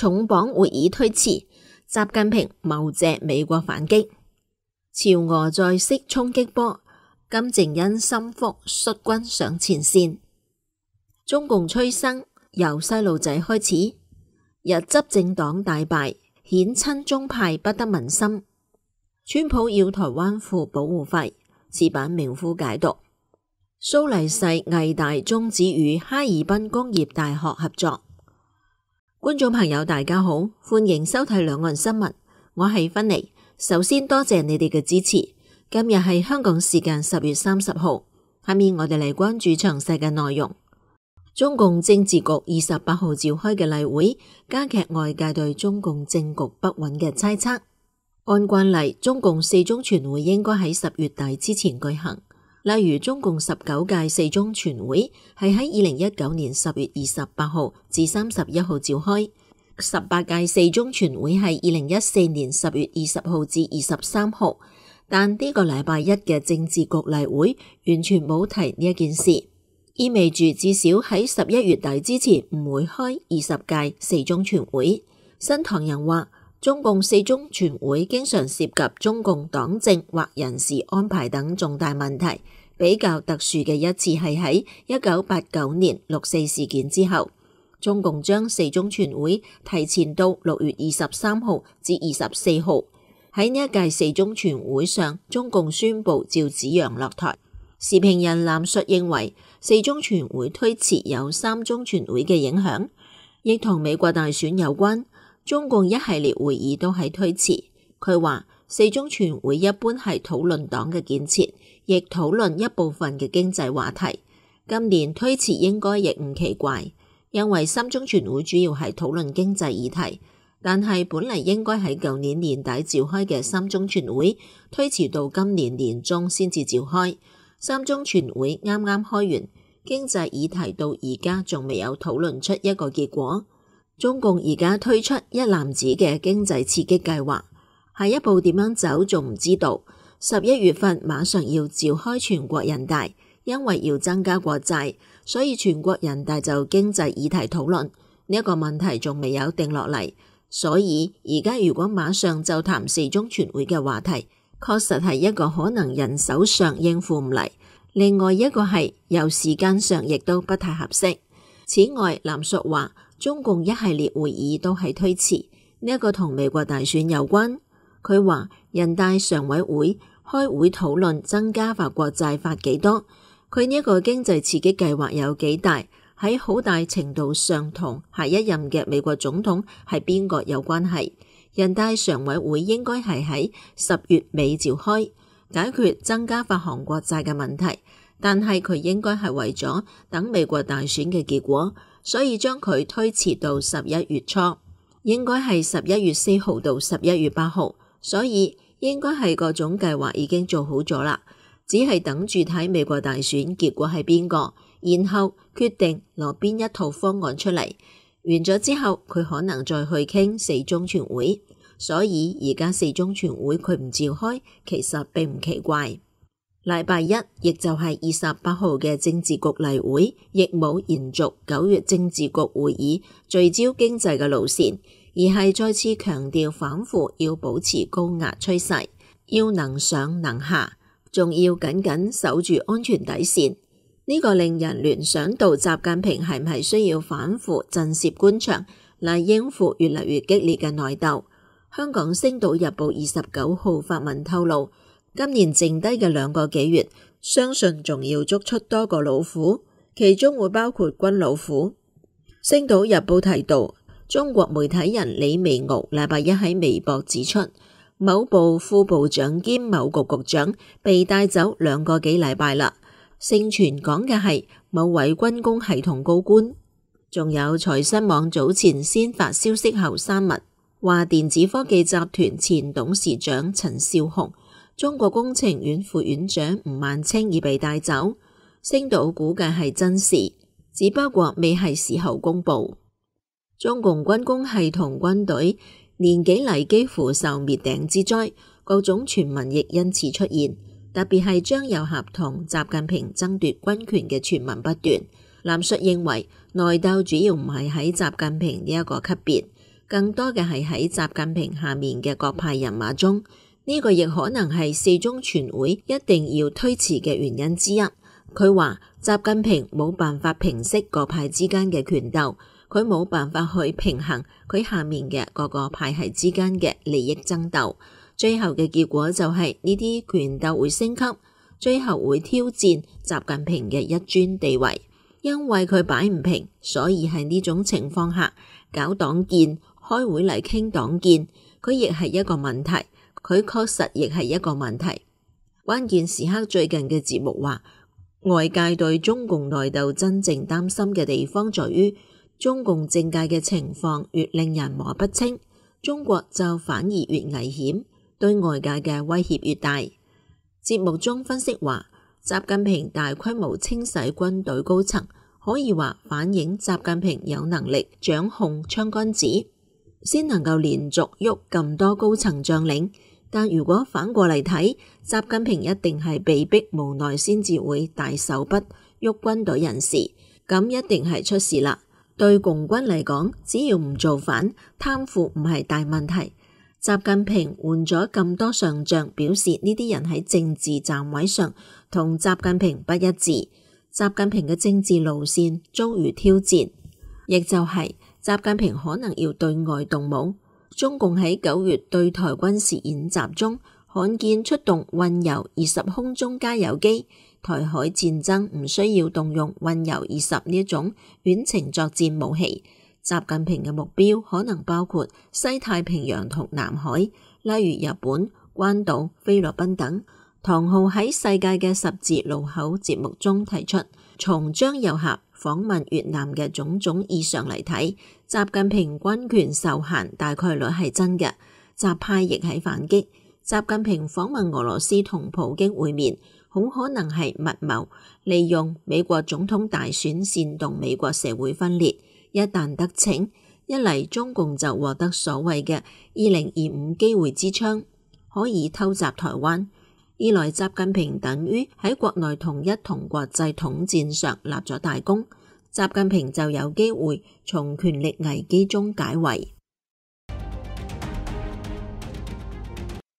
重磅會議推遲，習近平謀借美國反擊。朝俄再式衝擊波，金正恩心腹率軍上前線。中共催生由細路仔開始，日執政黨大敗，顯親中派不得民心。川普要台灣付保護費，此版名夫解讀。蘇黎世藝大終止與哈爾濱工業大學合作。觀眾朋友大家好，歡迎收睇兩岸新聞，我係芬妮。首先多謝你哋嘅支持。今日係香港時間10月30號，下面我哋嚟關注詳細嘅內容。中共政治局28號召開嘅例會，加劇外界對中共政局不穩嘅猜測。按慣例，中共四中全會應該喺10月底之前舉行。例如中共19屆四中全會係喺2019年10月28號至31號召開，18屆四中全會係2014年10月20號至23號，但呢個禮拜一嘅政治局例會完全冇提呢一件事，意味住至少喺11月底之前唔會開20屆四中全會。新唐人話，中共四中全會經常涉及中共黨政或人事安排等重大問題，比較特殊嘅一次係喺1989年6.4事件之後，中共將四中全會提前到6月23號至24號。喺呢一屆四中全會上，中共宣布趙紫陽落台。時評人藍述認為，四中全會推遲有三中全會嘅影響，亦同美國大選有關。中共一系列會議都係推遲。佢話四中全會一般係討論黨嘅建設，亦討論一部分嘅經濟話題。今年推遲應該亦唔奇怪，因為三中全會主要係討論經濟議題，但係本嚟應該喺舊年年底召開嘅三中全會推遲到今年年中先至召開。三中全會啱啱開完，經濟議題到而家仲未有討論出一個結果。中共而家推出一籃子嘅經濟刺激計劃，下一步點樣走仲唔知道。11月份馬上要召開全國人大，因為要增加國債，所以全國人大就經濟議題討論呢一個問題仲未有定落嚟，所以而家如果馬上就談四中全會嘅話題，確實係一個可能人手上應付唔嚟，另外一個係由時間上亦都不太合適。此外，藍述話中共一系列會議都係推遲，呢一個同美國大選有關。佢話人大常委會開會討論增加發國債發幾多，佢呢一個經濟刺激計劃有幾大，喺好大程度上同下一任嘅美國總統係邊個有關係。人大常委會應該係喺10月尾召開，解決增加發行國債嘅問題，但係佢應該係為咗等美國大選嘅結果，所以將佢推遲到11月初，應該係11月4號到11月8號，所以應該係各種計劃已經做好咗啦，只係等住睇美國大選結果係邊個，然後決定攞邊一套方案出嚟。完咗之後，佢可能再去傾四中全會，所以而家四中全會佢唔召開，其實並唔奇怪。禮拜一，亦就係28號嘅政治局例會，亦冇延續9月政治局會議聚焦經濟嘅路線，而係再次強調反腐要保持高壓趨勢，要能上能下，仲要緊緊守住安全底線。呢個令人聯想到習近平係唔係需要反腐震懾官場嚟應付越嚟越激烈嘅內鬥。香港星島日報29號發文透露，今年剩低嘅2個幾月，相信仲要捉出多個老虎，其中會包括軍老虎。星島日報提到，中國媒體人李微敖禮拜一喺微博指出，某部副部長兼某局局長被帶走2個幾禮拜啦。盛傳講嘅係某位軍工系統高官。仲有財新網早前先發消息後刪文，話電子科技集團前董事長陳少雄、中國工程院副院長吳萬清已被帶走。星島估計係真事，只不過未係時候公布。中共軍工系統軍隊年幾嚟幾乎受滅頂之災，各種傳聞亦因此出現。特別係張又俠同習近平爭奪軍權嘅傳聞不斷。藍述認為內鬥主要唔係喺習近平呢一個級別，更多嘅係喺習近平下面嘅各派人馬中，呢個亦可能係四中全會一定要推遲嘅原因之一。佢話習近平冇辦法平息各派之間嘅權鬥，佢冇辦法去平衡佢下面嘅各個派系之間嘅利益爭鬥，最後嘅結果就係呢啲權鬥會升級，最後會挑戰習近平嘅一尊地位。因為佢擺唔平，所以喺呢種情況下搞黨建，開會嚟傾黨建，佢亦係一個問題，佢確實亦係一個問題。關鍵時刻最近嘅節目話，外界對中共內鬥真正擔心嘅地方在於中共政界嘅情況越令人摸不清，中國就反而越危險，對外界嘅威脅越大。節目中分析話，習近平大規模清洗軍隊高層，可以話反映習近平有能力掌控槍桿子，先能夠連續喐咁多高層將領。但如果反過嚟睇，習近平一定係被逼無奈先至會大手筆喐軍隊人士，咁一定係出事啦。對共軍嚟講，只要唔造反，貪腐唔係大問題。習近平換咗咁多上將，表示呢啲人喺政治站位上同習近平不一致，習近平嘅政治路線遭遇挑戰，亦就係習近平可能要對外動武。中共喺9月對台軍事演習中，罕見出動運油20空中加油機，台海戰爭唔需要動用運油20呢種遠程作戰武器。習近平嘅目標可能包括西太平洋同南海，例如日本、關島、菲律賓等。唐浩喺世界嘅十字路口節目中提出，從張又俠訪問越南嘅種種異常嚟睇，習近平軍權受限大概率係真嘅。習派亦喺反擊，習近平訪問俄羅斯同普京會面，好可能係密謀，利用美國總統大選煽動美國社會分裂。一旦得逞，一嚟中共就獲得所謂嘅2025機會之窗，可以偷襲台灣；二來習近平等於喺國內統一同國際統戰上立咗大功，習近平就有機會從權力危機中解圍。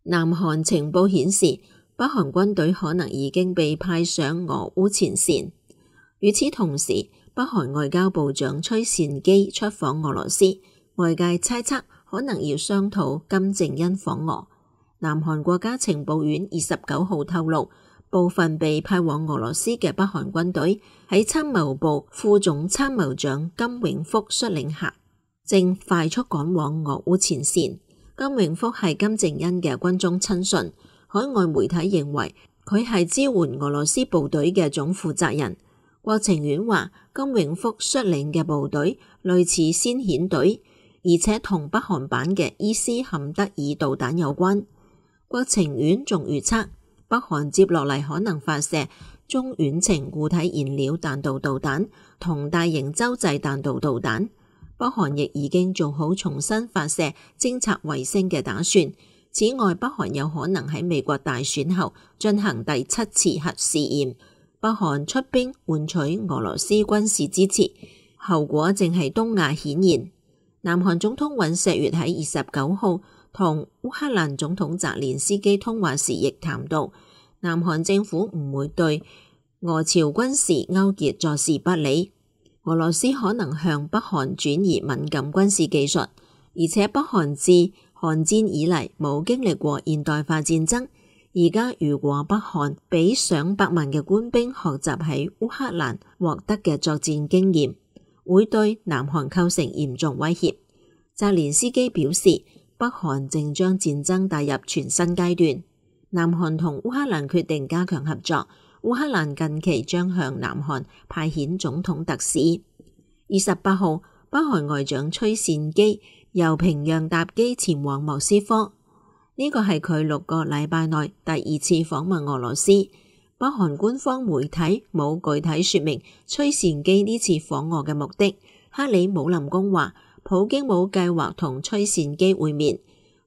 南韓情報顯示，北韓軍隊可能已經被派上俄烏前線。與此同時，北韓外交部長崔善基出訪俄羅斯，外界猜測可能要商討金正恩訪俄。南韓國家情報院29號透露，部分被派往俄羅斯嘅北韓軍隊喺參謀部副總參謀長金永福率領下，正快速趕往俄烏前線。金永福係金正恩嘅軍中親信，海外媒體認為佢係支援俄羅斯部隊嘅總負責人。國情院話，金永福率領嘅部隊類似先遣隊，而且同北韓版嘅伊斯坎德爾導彈有關。國情院仲預測，北韓接落嚟可能發射中遠程固體燃料彈道導彈同大型洲際彈道導彈。北韓亦已經做好重新發射偵察衛星嘅打算。此外，北韓有可能喺美國大選後進行第7次核試驗。北韓出兵換取俄羅斯軍事支持，後果正係東亞顯現。南韓總統尹錫悅喺29號同烏克蘭總統澤連斯基通話時，亦談到南韓政府唔會對俄朝軍事勾結坐視不理。俄羅斯可能向北韓轉移敏感軍事技術，而且北韓自韓戰以嚟冇經歷過現代化戰爭。而家如果北韓俾上百萬嘅官兵學習喺烏克蘭獲得嘅作戰經驗，會對南韓構成嚴重威脅。澤連斯基表示，北韓正將戰爭帶入全新階段。南韓同烏克蘭決定加強合作，烏克蘭近期將向南韓派遣總統特使。28號，北韓外長崔善基由平壤搭機前往莫斯科。呢個係佢6個禮拜內第2次訪問俄羅斯。北韓官方媒體冇具體說明崔善基呢次訪俄嘅目的。克里姆林宮話，普京冇計劃同崔善基會面。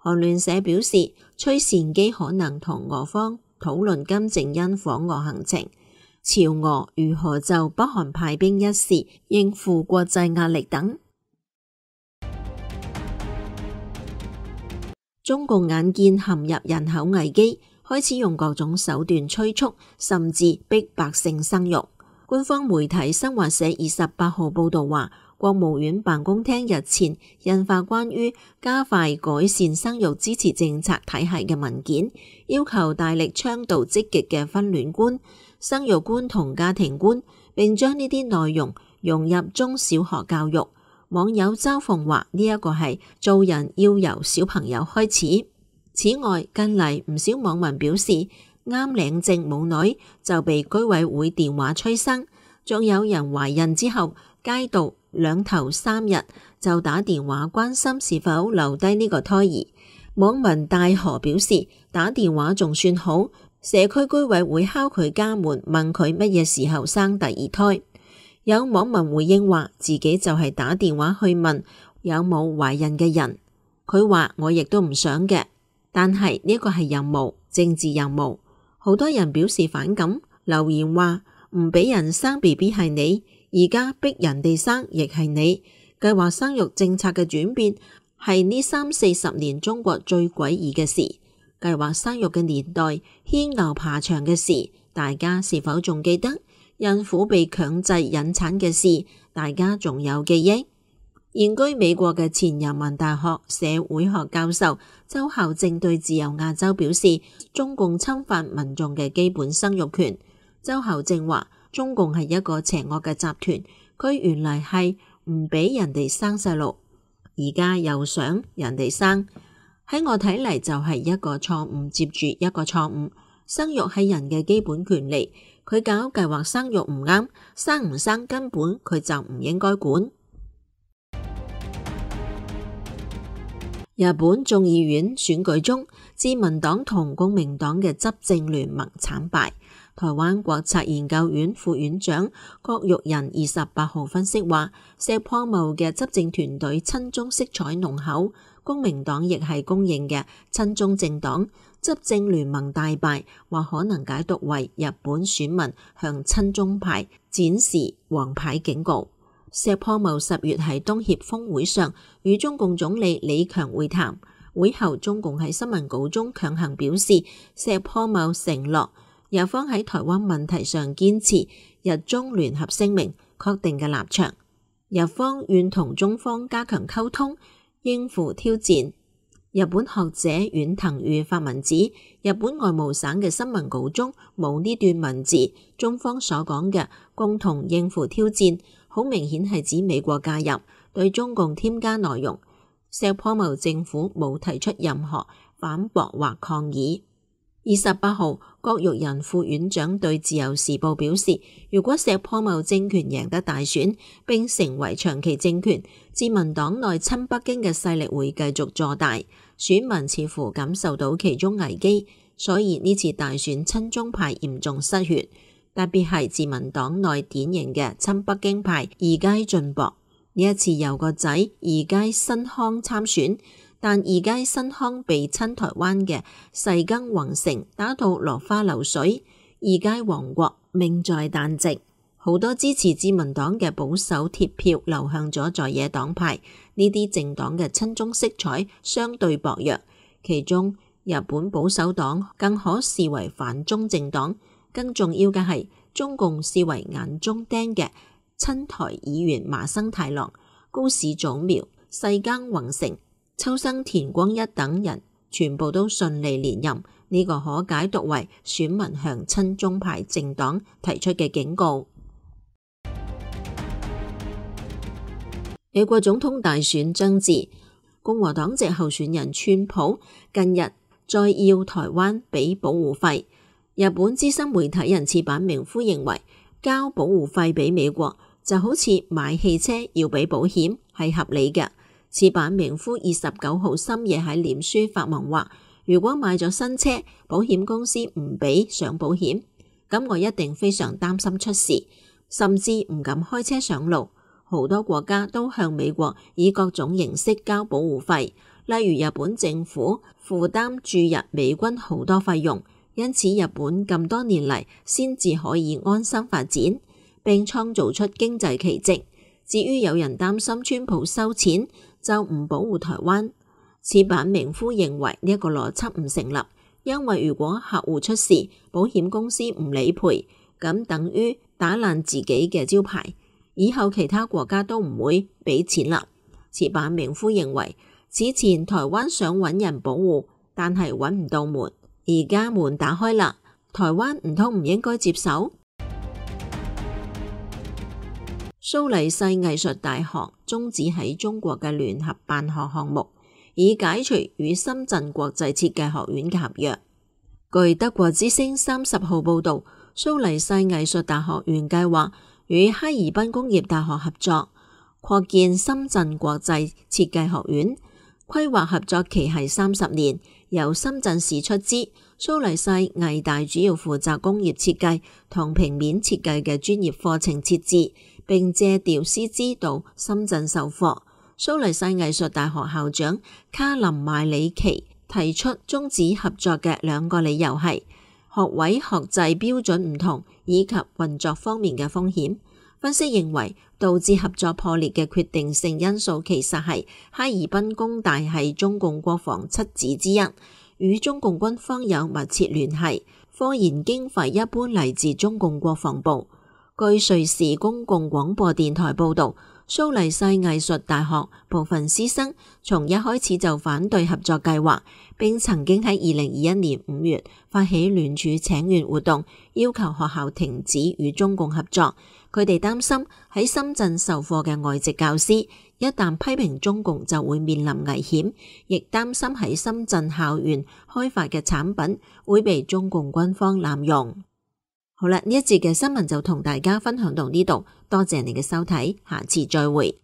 韓聯社表示，崔善基可能同俄方討論金正恩訪俄行程，朝俄如何就北韓派兵一事應付國際壓力等。中共眼見陷入人口危機，開始用各種手段催促，甚至逼百姓生育。官方媒體新華社28號報道話，國務院辦公廳日前印發關於加快改善生育支持政策體系嘅文件，要求大力倡導積極嘅婚戀觀、生育觀同家庭觀，並將呢啲內容融入中小學教育。網友嘲諷話，呢一個係做人要由小朋友開始。此外，近嚟唔少網民表示，啱領證冇耐就被居委會電話催生，仲有人懷孕之後街道2頭3日就打電話關心是否留低呢個胎兒。網民大河表示，打電話仲算好，社區居委會敲佢家門問佢乜嘢時候生第二胎。有網民回應話，自己就係打電話去問有冇懷孕嘅人，佢話我亦都唔想嘅，但係呢個係任務，政治任務。好多人表示反感，留言話唔俾人生 BB 係你，而家逼人哋生亦係你。計劃生育政策嘅轉變係呢30-40年中國最詭異嘅事。計劃生育嘅年代，牽牛爬牆嘅事，大家是否仲記得？孕婦被強制引產嘅事，大家仲有記憶？現居美國嘅前人民大學社會學教授周孝正對自由亞洲表示，中共侵犯民眾嘅基本生育權。周孝正話，中共係一個邪惡嘅集團，佢原嚟係唔俾人哋生細路，而家又想人哋生。喺我睇嚟就係一個錯誤接住一個錯誤。生育係人嘅基本權利，佢搞計劃生育唔啱，生唔生根本佢就唔應該管。日本眾議院選舉中，自民黨同公明黨嘅執政聯盟慘敗。台灣國策研究院副院長郭玉仁28號分析話，石破茂嘅執政團隊親中色彩濃厚，公明黨亦係公認嘅親中政黨，執政聯盟大敗，或可能解讀為日本選民向親中派展示黃牌警告。石破茂10月喺東協峰會上與中共總理李強會談，會後中共喺新聞稿中強行表示，石破茂承諾日方喺台灣問題上堅持日中聯合聲明確定嘅立場，日方願同中方加強溝通，應付挑戰。日本學者遠藤裕發文指，日本外務省嘅新聞稿中冇呢段文字，中方所講嘅共同應付挑戰，好明顯係指美國介入，對中共添加內容。石破茂政府冇提出任何反駁或抗議。28號，郭玉仁副院長對自由時報表示，如果石破茂政權贏得大選並成為長期政權，自民黨內親北京嘅勢力會繼續坐大，選民似乎感受到其中危機，所以呢次大選親中派嚴重失血，特別係自民黨內典型嘅親北京派二階俊博。呢一次由個仔二階新康參選，但二階新康被親台灣嘅細耕宏成打到落花流水，二階王國命在旦夕。好多支持自民黨嘅保守鐵票流向咗在野黨派，呢啲政黨嘅親中色彩相對薄弱，其中日本保守黨更可視為反中政黨。更重要嘅係，中共視為眼中釘嘅親台議員麻生太郎、高市早苗、細耕宏成、秋生田光一等人全部都順利連任，呢個可解讀為選民向親中派政黨提出嘅警告。美國總統大選將至，共和黨籍候選人川普近日再要台灣俾保護費。日本資深媒體人矢板明夫認為，交保護費俾美國就好似買汽車要俾保險，係合理嘅。矢板明夫29號深夜喺臉書發文話，如果買咗新車，保險公司唔俾上保險，咁我一定非常擔心出事，甚至唔敢開車上路。好多國家都向美國以各種形式交保護費，例如日本政府負擔駐日美軍好多費用，因此日本咁多年嚟先至可以安心發展，並創造出經濟奇蹟。至於有人擔心川普收錢，就唔保護台灣。矢板明夫認為呢一個邏輯唔成立，因為如果客戶出事，保險公司唔理賠，咁等於打爛自己嘅招牌，以後其他國家都唔會俾錢啦。矢板明夫認為，此前台灣想揾人保護，但係揾唔到門，而家門打開啦，台灣唔通唔應該接手？蘇黎世藝術大學終止喺中國嘅聯合辦學項目，以解除與深圳國際設計學院嘅合約。據德國之聲30號報道，蘇黎世藝術大學原計劃與哈爾濱工業大學合作，擴建深圳國際設計學院，規劃合作期係30年，由深圳市出資，蘇黎世藝大主要負責工業設計同平面設計嘅專業課程設置，並借調師資到深圳授課。蘇黎世藝術大學校長卡林麥里奇提出終止合作嘅2個理由係學位學制標準唔同，以及運作方面嘅風險。分析認為，導致合作破裂嘅決定性因素其實係哈爾濱工大係中共國防七子之一，與中共軍方有密切聯繫，科研經費一般嚟自中共國防部。據瑞士公共廣播電台報導，蘇黎世藝術大學部分師生從一開始就反對合作計劃，並曾經喺2021年5月發起聯署請願活動，要求學校停止與中共合作。佢哋擔心喺深圳授課嘅外籍教師一旦批評中共就會面臨危險，亦擔心喺深圳校園開發嘅產品會被中共軍方濫用。好啦，呢一節嘅新聞就同大家分享到呢度，多謝你嘅收睇，下次再會。